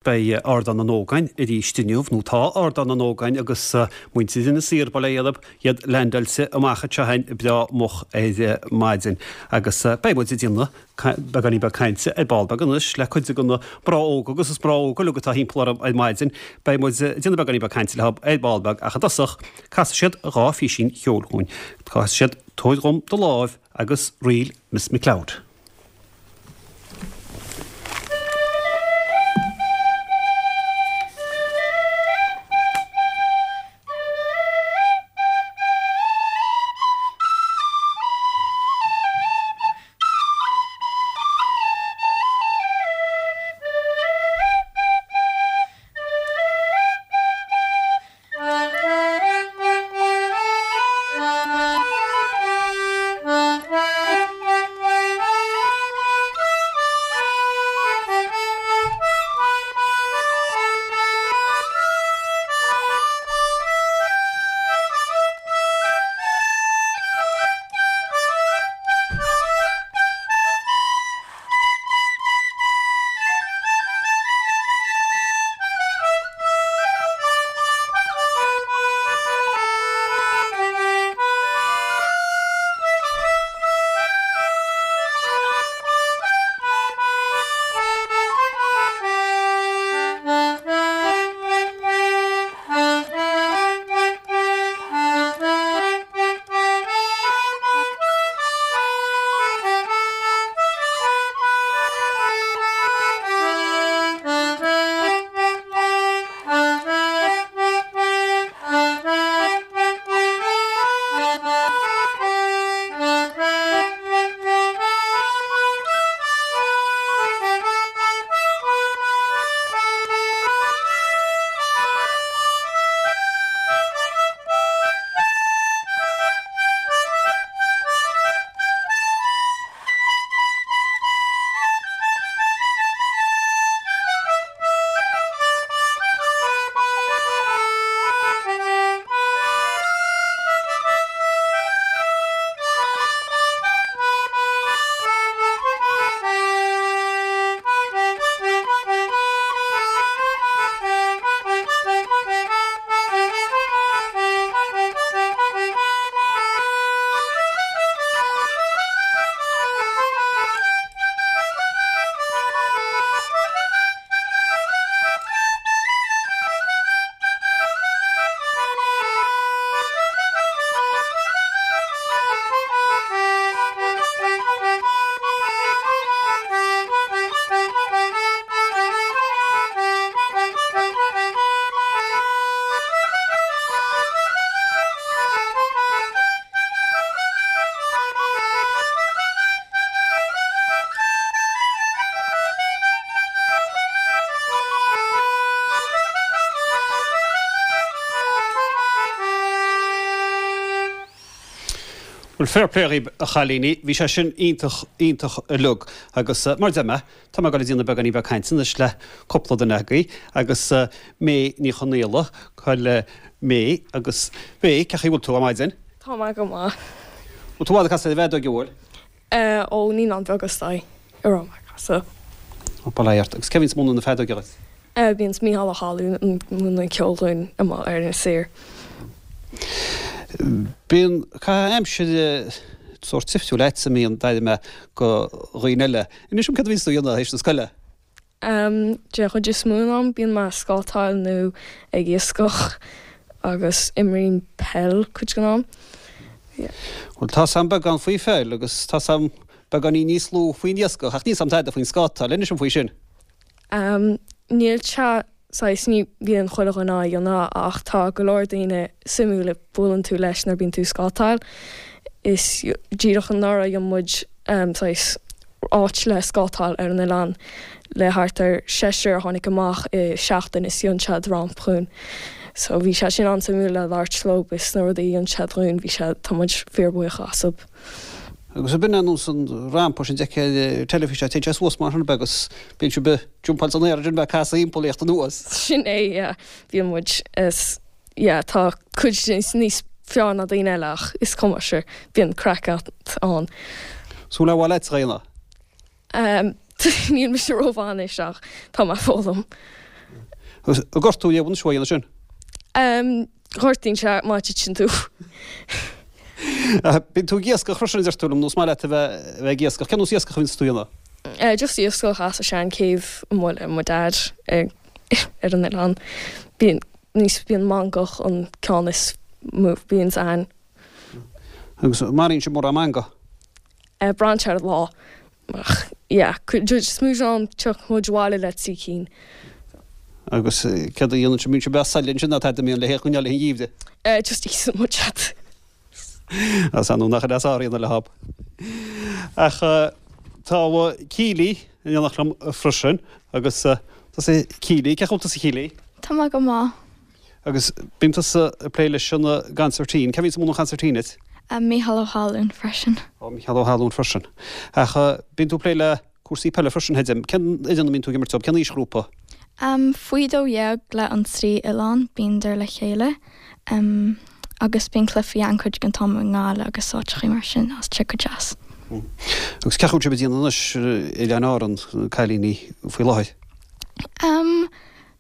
Beidh Ardán na nÓg againn arís inniu, nó tá Ardán na nÓg againn agus muintir Inis Oírr, bail ó Dhia orthu, iad leaindeáilte amach anseo againn breá moch ar maidin. Agus beidh muid ag déanamh beagáinín beag cainte ar ball beag anois le cuid de na mná óga agus is mná óga uilig atá thimpeall orm ar maidin. Beidh muid ag déanamh beagáinín beag cainte leo ar ball beag ach i dtosach casfaidh siad 2 phísín cheoil dhúinn. Casfaidh siad Tabhair Dhom Do Láimh agus Ríl Miss McLeod. Bhuel, fair play dhaoib, a chailíní. Bhí sé sin iontach, iontach uilig. Agus mar a deir mé, tá mé ag dul ag déanamh beagáinín beag cainte anois le cúpla duine agaibh. Agus May Ní Chonaola, cá bhfuil May agus May, cén chaoi a bhfuil tú ar maidin? Tá mé go maith. Bhfuil tú i bhfad ag casadh ar an bhfeadóig, an bhfuil? Ó Naíonáin Bheaga is dóigh a raibh mé ag casadh. Ó, bail ó Dhia ort. Agus cé bhíonns ag múineadh na feadóige dhuit? Bíonns Mícheál Ó hAlmhain ag múineadh ceoil dhúinn amuigh ar Inis Oírr. Bíonn caitheamh aimsire sórt difriúil agatsa, an mbíonn, d'airigh mé, go dhaoine eile. Inis dom céard a bhíonns tú a dhéanamh théis na scoile? Den chuid is mó den am bíonn mé ag scátáil nó ag iascach agus imrím peil cuid den am. Yeah. Bhuel tá's a'm beagán faoi pheil agus tá's a'm beagáinín níos lú faoin iascach ach níl 's a'm tada faoin scátáil. Inis dom faoi sin. Níl sé saghas, ní bhíonn chuile dhuine á dhéanamh ach tá go leor daoine suimiúil a buaileann tú leis nuair bíonn tú ag scátáil. Is díreach anuraidh dhein muid saghas áit le scátáil ar an oileán le thart ar seisear a tháinig amach i seachtain is dhein siad ramp dhúinn. So bhí sé sin an-suimiúil le labhairt leo is na rudaí a dhein siad dhúinn bhí sé, tá muid fíorbhuíoch astu. Agus ab in é nós an rampa sin a d'fheicfeá ar teilifís, téann sé suas mar sin ab ea agus bíonn sibh ag jumpáil san aer ansin ag casadh thimpeall ag tíocht anuas. Sin é, yeah. Bíonn muid is, yeah, tá cuid níos fearr ná daoine eile ach is cuma, sure, bíonn craic ann. Súil ar mhaith leat a dhéanamh? Níl mise rómhaith anois ach tá mé ag foghlaim. Agus an gortú léamh anois uaidh ansin? Gortaíonn sé má titeann tú. Bíonn tú ag iascach freisin a deir tú liom, nó is maith leat a bheith ag iascach. Cén nós iascach a bhíonns tú a dhéanamh? Just iascach as an sean-chéibh amuigh le mo dad ar an oileán. Bíonn níos bíonn mangach an ceann is mó bíonns ann. Agus maraíonn sibh mórán mangach? Braitheann sé ar an lá. Ach yeah, is mó an tiocfaidh muid abhaile le 3 cinn. Agus céard a dhéanann sibh, mbíonn sibh breá soiléir ansin ná tada, mbíonn le hé choinneáil le an gheimhreadh? Just íosann muid iad. As ann nach deas áiríonna le hob. Ach tá Keely in éineacht liom freisin agus tusa Keely, cén chaoi a bhfuil tusa Keely? Tá mé go maith. Agus bíonn tusa ag plé leis an gconsairtín. Cé bhíonns ag múineadh an chonsairtín duit? Mícheál Ó hAllúin freisin. Ó, Mícheál Ó hAllúin freisin. Ach bíonn tú ag plé le cúrsaí peile freisin, Heidim. Cén fhoireann a mbíonn tú ag imirt dóibh? Cén aoisghrúpa? Faoi 12 le an trí oileán, bíonndar le chéile. Agus bíonn cluichí ann cuid den t-am i nGaillimh agus áiteachaí mar sin is tá sé go deas. Agus cén chaoi a bhfuil sibh ag déanamh anois i Oileáin Árann, na cailíní, faoi láthair?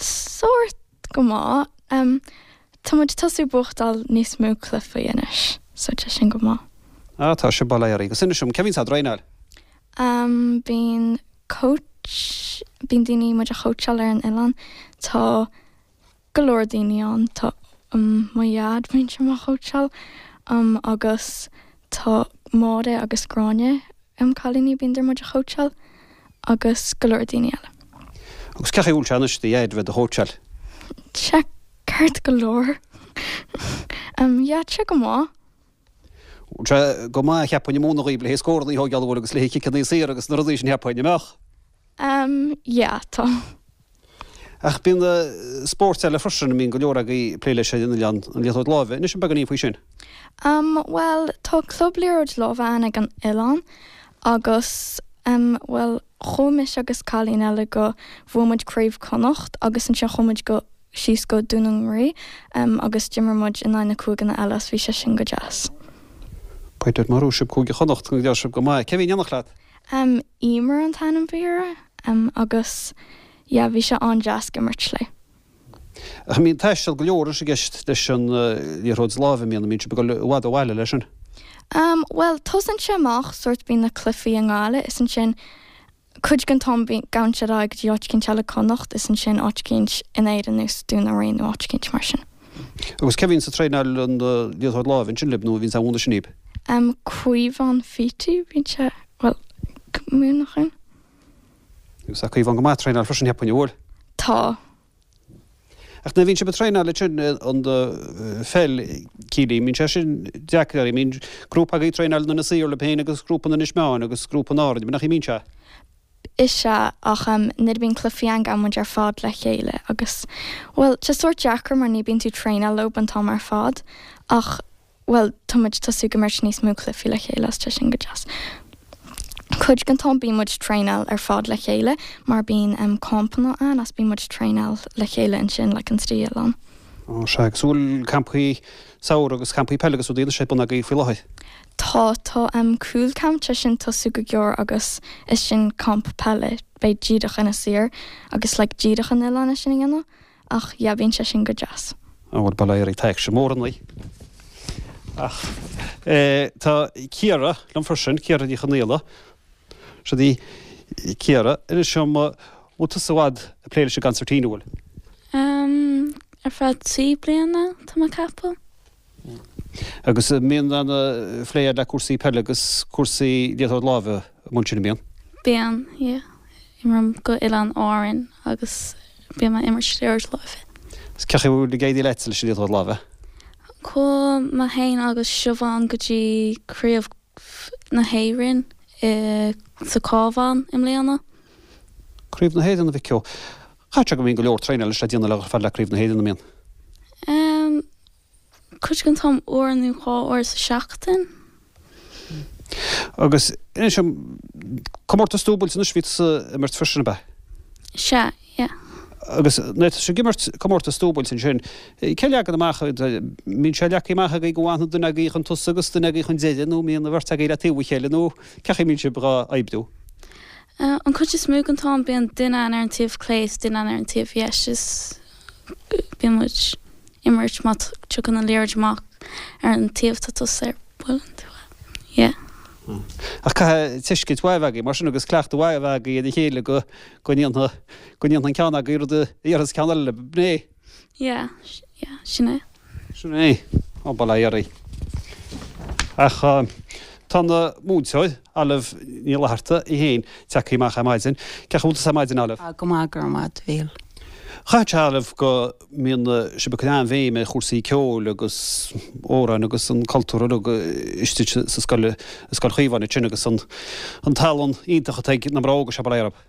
Sórt. Go maith. Tá muid ag tosú buachtáil níos mó cluichí anois, so tá sin go maith. Ah, tá sibh bail oraibh. Agus inis dom, cé bhíonns á dtraenáil? Bíonn coach, bíonn daoine muid a chóitseáil ar an oileán. Tá go leor daoine ann. Tá mo dhaid, bíonn sé mo chóitseáil, agus tá Máire agus Gráinne. Um cailíní bíonndar muid a chóitseáil agus go leor daoine eile. Agus cén chaoi a bhfuil sé anois do dhaid a bheith do chóitseáil? Tá sé ceart go leor. Um yeah tá sé go maith. Bhfuil sé go maith cheapfainn ag múineadh dhaoibh le haghaidh scóranna a thógáil an bhfuil agus le haghaidh ciceanna saor agus na rudaí sin cheapfainn, an mbeadh? Um yeah tá. Ach bíonn spóirt eile freisin a mbíonn go leor agaibh ag plé leis ar an oileán, an liathróid láimhe. Inis dom beagáinín faoi sin. Um bhuel tá club liathróid láimhe ann ag an oileán agus um bhuel chuaigh mise agus cailín eile go bhuaigh muid craobh Connacht agus ansin chuaigh muid go síos go Dún na nGaoith um agus d'imir muid in aghaidh na cúigeanna eile agus bhí sé sin go deas. B'fhéidir má bhuaigh sibh Cúige Chonnacht go ndeachaigh sibh go maith. Cé bhí in éineacht leat? Um Emer an t-ainm a bhí uirthi um agus yeah bhí sé an-deas ag imirt léi. Ach mbíonn taisteal go leor anois i gceist leis an liathróid láimhe, mbíonn, mbíonn sibh ag dul i bhfad ó bhaile leis sin? Um bhuel tosaíonn sé amach sórt bíonn na cluichí i nGaillimh is ansin cuid den t-am bíonn gabhann siad ar aghaidh go dtí áit eicínt eile Connacht is ansin áit eicínt in Éirinn nós Dún na nGaoith nó áit eicínt mar sin. Agus cé bhíonns ag traenáil an liathróid láimhe ansin libh nó a bhíonns á mhúineadh sin daoibh? Um Caomhán Feety bíonn sé bhuel ag múineadh dhúinn. Agus tá Caomhán go maith ag traenáil freisin cheapfainn, an bhfuil? Tá. Ach nuair a bhíonn sibh ag traenáil ansin an pheil, Keely, mbíonn sé sin deacair oraibh, mbíonn grúpa agaibh ag traenáil in Inis Oírr libh féin agus grúpa in Inis Meáin agus grúpa in Árainn, nach mbíonn sé? Is ea, ach nuair a bhíonn cluichí ann gabhann muid ar fad le chéile agus, bhuel, tá sé sórt deacair mar ní bíonn tú ag traenáil leo an t-am ar fad ach, bhuel, tá muid tosú ag imirt níos mó cluichí le chéile is tá sin go deas. Cuid den t-am bíonn muid traenáil ar fad le chéile mar bíonn em campanna ann is bíonn muid traenáil le chéile ansin like an trí oileán. Ó sea, agus an bhfuil campaí samhraidh agus campaí peile agus rudaí anois ar bun agaibh faoi láthair? Tá, tá em cúl camp tá sin tosú go gearr agus is sin camp peile beidh díreach Inis Oírr agus like díreach an oileán é sin a dhéanamh. Ach yeah, bíonn sé sin go deas. An bhfuil bail ó Dhia tá aicsean mór ann. Ach tá Ciara liom freisin, Ciara Ní Chonaola. Siod í Ciara. Inis dom, bhfuil tusa i bhfad ag plé leis an gconsairtín, an bhfuil? Umm, ar feadh 3 bliana, tá mé ag ceapadh. Agus an mbíonn an-phlé agat le cúrsaí peile agus cúrsaí liathróid láimhe amuigh ansin, an mbíonn? Bíonn, yeah. Imrím go Oileáin Árann agus bím ag imirt liathróid láimhe. Agus cén chaoi a bhfuil ag éirí leatsa leis an liathróid láimhe? Chuaigh mé féin agus Siobhán go dtí Craobh na hÉireann i sa Cabhán i mbliana. Craobh na hÉireann a mhic ó. Caithfidh sé go mbíonn go leor traenáil anois le déanamh le dhul fad le Craobh na hÉireann, an mbíonn? Em, cuid den t-am uair nó dhá uair sa seachtain. Agus inis dom, comórtas dúbailte anois, bhí tusa ag imirt freisin, ab ea? Sea, yeah. Agus nuair atá sibh ag imirt comórtas dúbailte ansin, cén leagan amach, mbíonn sé leagtha amach agaibh go bhfanfaidh duine agaibh chun tosaigh agus duine agaibh chun deiridh nó mbíonn an bheirt agaibh le taobh a chéile nó cén chaoi a mbíonn sibh dhá oibriú? An cuid is mó den t-am bíonn duine ann ar an taobh clé is duine ann ar an taobh dheis is. Bíonn muid imirt má tiocfaidh an liathróid amach ar an taobh tá tusa air buaileann tú é. Yeah. Ach caithfidh tuiscint mhaith a bheith agaibh mar sin agus cleachtadh mhaith a bheith agaibh ar a chéile go go ndéanfaidh go ndéanfaidh an ceann agaibh rud a dhéarfas ceann eile libh, an é? Yeah, yeah, sin é. Sin é. Ó, bail ó Dhia oraibh. Ach tá na múinteoir, Olive Ní Fhlatharta, í féin, tagtha amach ar maidin. Cén chaoi a bhfuil tusa ar maidin, Olive? Tá go maith, go raibh maith agat, a Mhíchíl. Chaithfeadh sé, Olive, go mbíonn sibh ag cur an-bhéim ar chúrsaí ceoil agus amhráin agus an cultúr uilig istigh sa scoil, i Scoil Chaomháin ansin agus an tallann iontach atá ag na mná óga seo, bail ó Dhia orthu.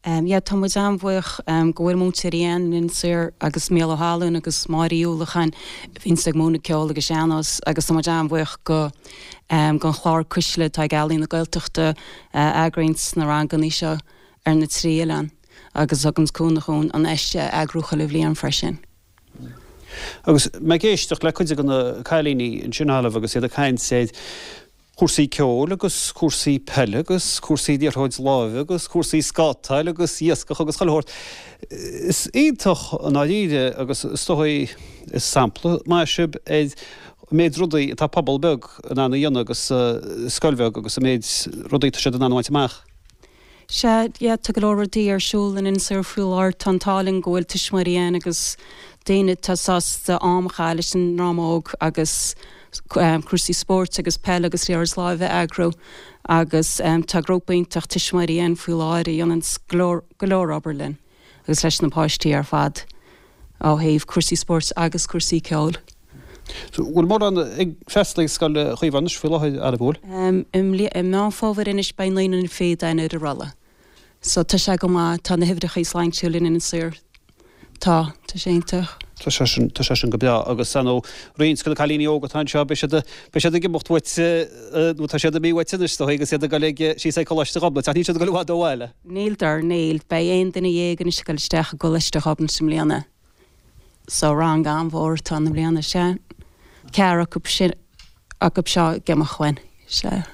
Yeah, tá muid an-bhuíoch go bhfuil múinteoirí ann in Inis Oírr agus Mícheál Ó hAlmhain agus Máire Uí Uallacháin a bhíonns ag múineadh ceol agus sean-nós agus tá muid an-bhuíoch go gon chlár Cuisle atá ag Ealaín na Gaeltachta a eagraíonns na rangannaí seo ar na trí oileán agus a thuganns cúnamh dhúinn an fheis a eagrú chuile bhliain freisin. Agus mé ag éisteacht le cuid de na cailíní ansin, Olive, agus iad ag caint ar cúrsaí ceoil agus cúrsaí peile agus cúrsaí liathróid láimhe agus cúrsaí scátáil agus iascach agus chuile shórt. Is iontach i ndáiríre agus is dóigh is sampla maith sibh ar an méid rudaí atá pobal beag in ann a dhéanamh agus scoil bheag agus an méid rudaí atá siad in ann a bhaint amach. Sea, yeah, tá go leor rudaí ar siúl in Inis Oírr faoi láthair. Tá an t-ádh linn go bhfuil tuismitheoirí ann agus daoine atá sásta am a chaitheamh leis an ndream óg agus cúrsaí spóirt agus peile agus liathróid láimhe a eagrú agus tá grúpa iontach tuismitheoirí ann faoi láthair a dhéananns go leor, go leor obair linn agus leis na páistí ar fad ó thaobh cúrsaí spóirt agus cúrsaí ceoil. So, bhfuil mórán ag freastal ag Scoil Chaomháin anois faoi láthair, an bhfuil? I Meán Fómhair anois beidh naonúr fichead againn ar an rolla. So tá sé go maith, tá na huimhreachaí sláintiúil in Inis Oírr. Tá, tá sé iontach. Tá sé sin, tá sé sin go breá agus ar ndóigh roinnt de na cailíní óga atá anseo, beidh siad, beidh siad ag imeacht uait nó tá siad imithe uait anois is dóigh agus iad ag dul ag, síos ag Coláiste Ghobnait ach níl siad ag dul i bhfad ó bhaile. Níldar, níl. Beidh aon duine dhéag anois ag dul isteach i gColáiste Ghobnait i mbliana. So rang an-mhór atá ann i mbliana, sea. Ceathrar acu sin, acu seo ag imeacht uainn, sea.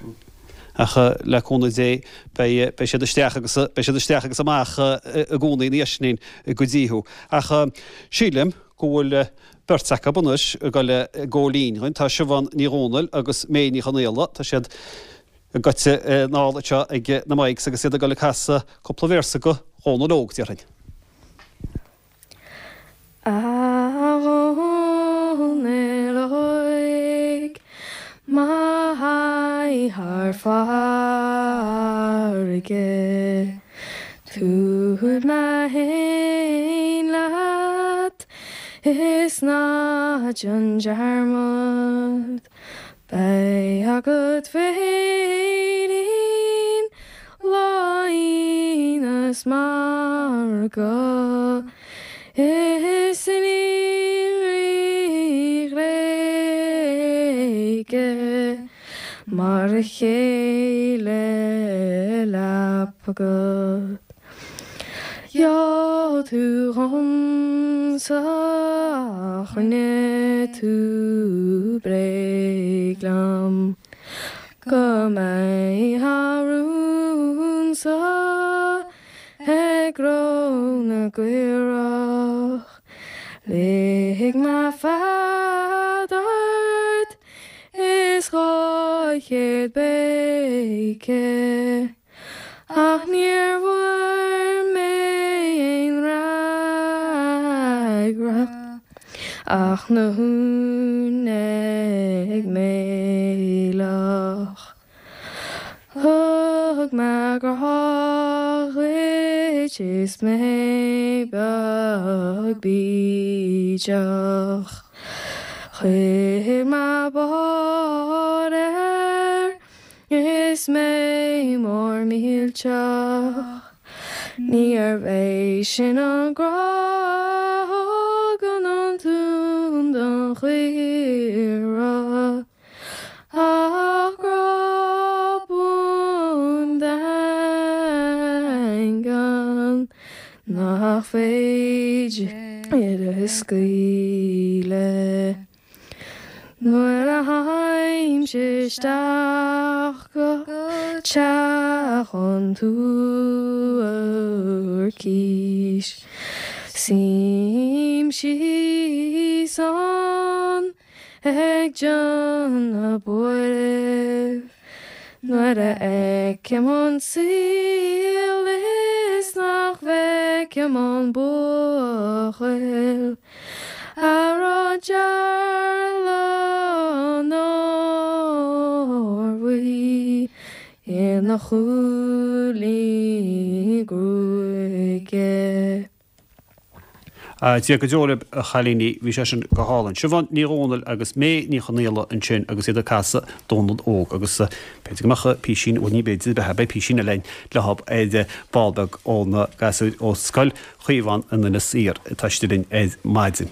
Ach le cúnamh Dé beidh, beidh siad isteach agus, beidh siad isteach agus amach i gcónaí ina dhiaidh sin go dtí thú. Ach sílim go bhfuil beirt acu anois ag dul i gcomh linn dhúinn. Tá Siobhán Ní Dhomhnaill agus May Ní Chonaola, tá siad gaibhte anall anseo ag na mics agus iad ag dul ag casadh cúpla véarsa go Dhónal Óg, déarfainn. A Dhónaill Óig, m'aghaidh thar farraige, Tabhair mé fhéin leat is ná déan dearmad. Beidh agat féirín lá Aoine 's margadh is iníon Rí Ghréige mar a chéile leapa agat. Gheall tú dhomsa ach rinne tú bréag liom Go mbeidh a rún sa ag cró na gcaorach Lig mé fead ort is 200 béice Ach níor bhfuair mé aon fhreagra ach na huain ag méileach. Thug mé grá dhuit is mé beag bídeach. Chuir mé bád air Is mé mór millteach, níorbh é sin an grá a thugann an t-uan don chaora, ach grá buan daingean nach féidir a scaoileadh. Nuair a théimse isteach go teach an tSuaircís, suímse. Bím síos ann ag déanamh buairimh nuair a fheicim an saol is nach bhfeicim an buachaill a raibh dearlán órbhuí ina chúilín gruaige. Dia go deo libh, a chailíní, bhí sé sin go hálainn. Siobhán Ní Dhomhnaill agus May Ní Chonaola ansin agus iad ag casadh Dónal Óg agus b'fhéidir go mbeadh písín, bhuel ní b'fhéidir, beidh, beidh písín eile againn leo ar ball beag ó na gasúir ó Scoil Chaomhán in Inis Oírr atá istigh linn ar maidin.